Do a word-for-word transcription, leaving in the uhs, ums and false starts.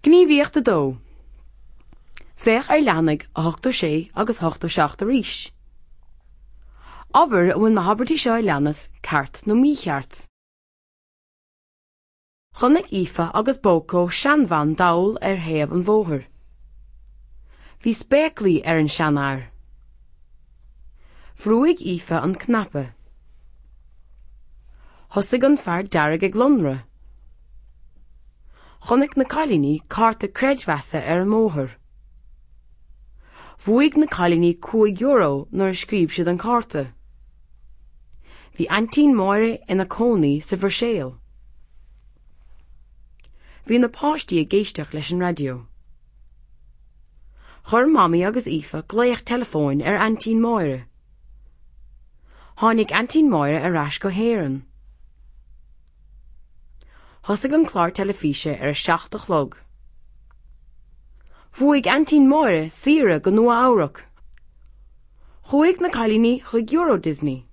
Gníomhaíocht a dó. Féach ar leathanaigh a hochtó sé agus hochtó seacht arís. Abair an bhfuil na habairtí seo a leanas ceart nó mícheart. Chonaic Aoife agus Bócó seanbhean dall ar thaobh an bhóthair. Bhí spéaclaí ar an seanfhear. Bhrúigh Aoife an cnaipe. Thosaigh an fear dearg ag lonradh. Chonaic na cailíní cárta creidmheasa ar an mbóthar. Bhuaigh na cailíní cúig euro nuair a scríobh siad an cárta. Bhí aintín Máire ina cónaí sa Bhruiséil. Bhí na páistí ag éisteacht leis an raidió. Chuir Mamaí agus Aoife glaoch teileafóin ar aintín Máire. Tháinig aintín Máire ar ais go hÉirinn. Thosaigh an clár teilifíse ar a seacht a chlog. Bhuaigh aintín Máire saoire go Nua Eabhrac. Chuaigh na cailíní chuig Euro Disney.